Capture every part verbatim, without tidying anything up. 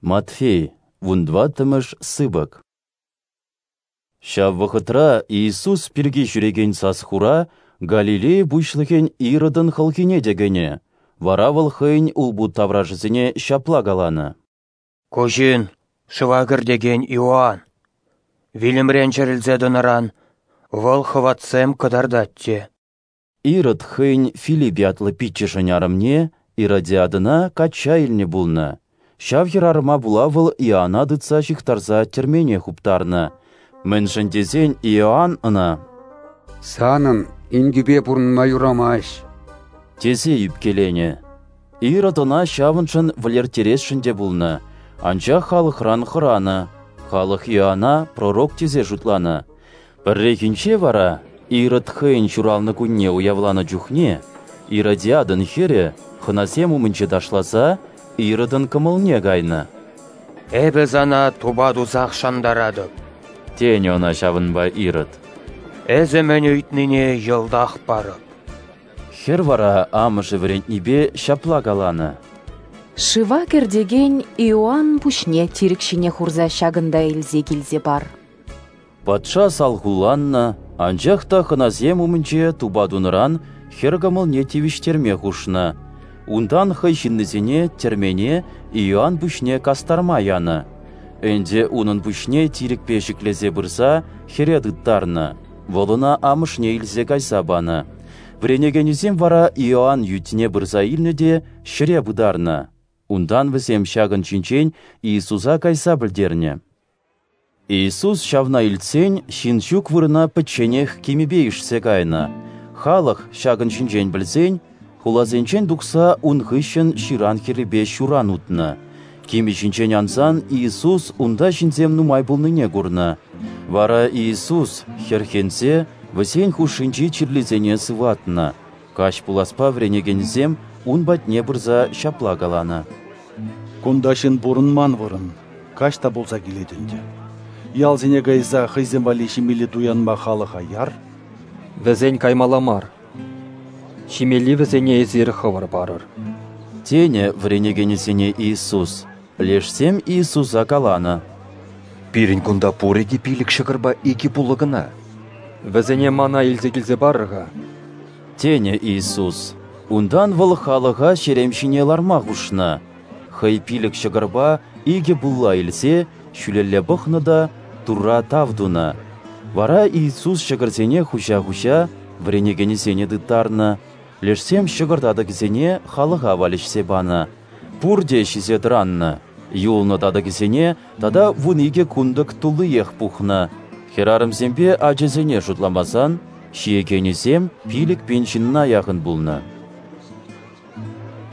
Матфей, вунтӑваттӑмӗш сыпӑк. Ҫав вӑхӑтра Иисус пирки ҫӳрекен сас-хура Галилея пуҫлӑхӗн Иродӑн хӑлхине те кӗнӗ, вара вӑл хӑйӗн улпут таврашӗсене ҫапла каланӑ: «Ку ҫын шыва кӗртекен Иоанн. Вилӗмрен чӗрӗлсе тӑнӑран вӑл хӑватсем кӑтартать те». Ирод хӑйӗн Филипп ятлӑ пиччӗшӗн арӑмне Иродиадӑна качча илнӗ пулнӑ. Ҫав хӗрарӑма пула вӑл Иоанна тытса ҫыхтарса тӗрмене хуптарнӑ. Мӗншӗн тесен Иоанн ӑна: «Санӑн инкӳпе пурӑнма юрамасть», тесе ӳпкеленӗ. Ирод ӑна ҫавӑншӑн вӗлерттересшӗн те пулнӑ, анчах халӑхран хӑранӑ. Халӑх Иоанна пророк тесе шутланӑ. Пӗррехинче вара Ирод хӑйӗн ҫуралнӑ кунне уявланӑ чухне Иродиадӑн хӗрӗ хӑнасем умӗнче ташласа Иродӑн кӑмӑлне кайнӑ. «Эпӗ сана тупа тусах шантаратӑп», тенӗ ӑна ҫавӑнпа Ирод. «Эсӗ мӗн ыйтнине йӑлтах парӑп». Хӗр вара амӑшӗ вӗрентнипе ҫапла каланӑ: «Шыва кӗртекен Иоанн пуҫне тирӗк ҫине хурса ҫакӑнта илсе килсе пар». Патша салхулланнӑ, анчах та хӑнасем умӗнче тупа тунӑран хӗр кӑмӑлне тивӗҫтерме хушнӑ. Унтан хӑй ҫыннисене тӗрмене Иоанн пуҫне кастарма янӑ. Ӗнтӗ унӑн пуҫне тирӗкпе ҫӗклесе пырса хӗре тыттарнӑ. Вӑл ӑна амӑшне илсе кайса панӑ. Вӗренекенӗсем вара Иоанн ӳтне пырса илнӗ те ҫӗре пытарнӑ. Унтан вӗсем ҫакӑн ҫинчен Иисуса кайса пӗлтернӗ. Иисус ҫавна илтсен ҫын ҫук вырӑна пӗчченех кимӗпе ишсе кайнӑ. Халӑх ҫакӑн ҫинчен пӗлсен хуласенчен тухса ун хыҫҫӑн ҫыран хӗррипе ҫуран утнӑ. Кимӗ ҫинчен ансан Иисус унта ҫынсем нумай пулнине курнӑ. Вара Иисус хӗрхенсе вӗсен хушшинчи чирлисене сыватнӑ. Каҫ пуласпа вӗренекенӗсем ун патне пырса ҫапла каланӑ: «Кунта ҫын пурӑнман вырӑн, каҫ та пулса килет ӗнтӗ. Ялсене кайса хӑйсем валли ҫимелли туянма халӑха яр». «Вӗсен каймалла мар. Ҫимелли вӗсене эсир хӑвӑр парӑр», тенӗ вӗренекенӗсене Иисус. Лешсем Иисуса каланӑ: «Пирӗн кунта пурӗ те пилӗк ҫӑкӑрпа икӗ пулӑ кӑна». «Вӗсене мана илсе килсе парӑр-ха», тенӗ Иисус. Унтан вӑл халӑха ҫерем ҫине ларма хушнӑ. Хӑй пилӗк ҫӑкӑрпа икӗ пулла илсе ҫӳлелле пӑхнӑ та Турра тав тунӑ. Вара Иисус ҫӑкӑрсене хуҫа-хуҫа вӗренекенӗсене тыттарнӑ. Лешсем ҫӑкӑр татӑкӗсене халӑха валеҫсе панӑ. Пурте ҫисе тӑраннӑ. Юлнӑ татӑкӗсене тата вун икӗ кунтӑк туллиех пухнӑ. Хӗрарӑмсемпе ачасене шутламасан ҫиекенӗсем пилӗк пин ҫынна яхӑн пулнӑ.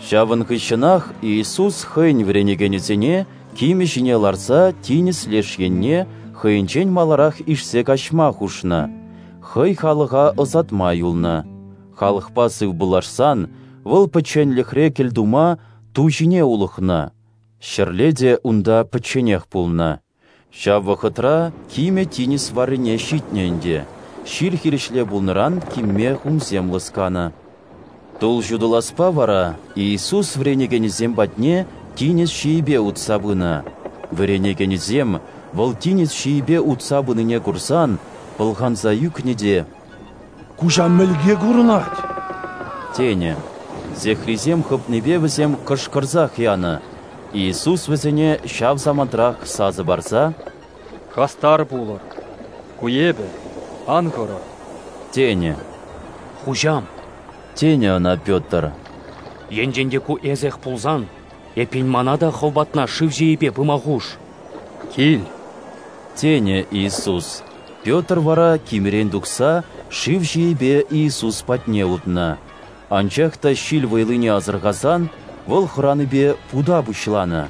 Ҫавӑн хыҫҫӑнах Иисус хӑйӗн вӗренекенӗсене кимӗ ҫине ларса тинӗс леш енне хӑйӗнчен маларах ишсе каҫма хушнӑ. Хӑй халӑха ӑсатма юлнӑ. Халӑхпа сывпуллашсан вӑл пӗчченлӗхре кӗлтума ту ҫине улӑхнӑ. Ҫӗрле те унта пӗчченех пулнӑ. Ҫав вӑхӑтра кимӗ тинӗс варрине ҫитнӗ ӗнтӗ. Ҫил хирӗҫле пулнӑран кимме хумсем лӑсканӑ. Тул ҫутӑласпа вара Иисус вӗренекенӗсем патне тинӗс ҫийӗпе утса пынӑ. Вӗренекенӗсем вӑл тинӗс ҫийӗпе утса пынине курсан пӑлханса ӳкнӗ те: «Куҫа мӗлке курӑнать!» тенӗ. Сехрисем хӑпнипе вӗсем кӑшкӑрсах янӑ. Иисус вӗсене ҫав самантрах сасӑ парса: «Хастар пулӑр! Ку эпӗ, ан хӑрӑр!» тенӗ. «Хуҫам», тенӗ ӑна Петр, «енчен те ку эсех пулсан, эппин мана та хӑв патна шыв ҫийӗпе пыма хуш». «Кил», тенӗ Иисус. Петр вара кимӗрен тухса шыв ҫийӗпе Иисус патне утнӑ. Анчах та ҫил вӑйлине асӑрхасан вӑл хӑранипе пута пуҫланӑ.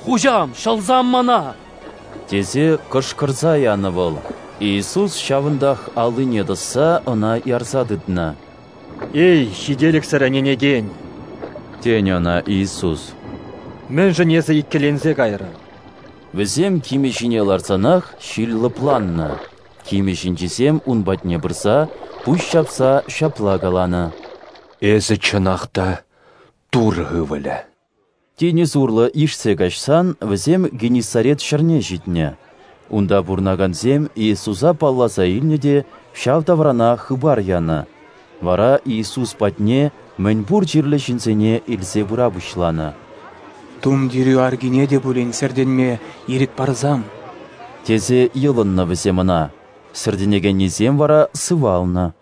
«Хуҫам, ҫӑлсам мана!» тесе кӑшкӑрса янӑ вӑл. Иисус ҫавӑнтах аллине тӑсса ӑна ярса тытнӑ. «Эй, ҫителӗксӗр ӗненекен!» тенӗ ӑна Иисус. «Мӗншӗн эсӗ иккӗленсе кайрӑн?» Вӗсем кимӗ ҫине ларсанах ҫил лӑпланнӑ. Кимӗ ҫинчисем ун патне пырса пуҫ ҫапса ҫапла каланӑ: «Эсӗ чӑнах та Турӑ ывӑлӗ». Тинӗс урлӑ ишсе каҫсан вӗсем Геннисарет ҫӗрне ҫитнӗ. Унта пурӑнакансем Иисуса палласа илнӗ те ҫав таврана хыпар янӑ. Вара Иисус патне мӗн пур чирлӗ ҫынсене илсе пыра пуҫланӑ. «Тумтирӳ аркине те пулин сӗртӗнме ирӗк парсам», – тесе йӑлӑннӑ вӗсем Ӑна. Сӗртӗнекеннисем вара сывалнӑ.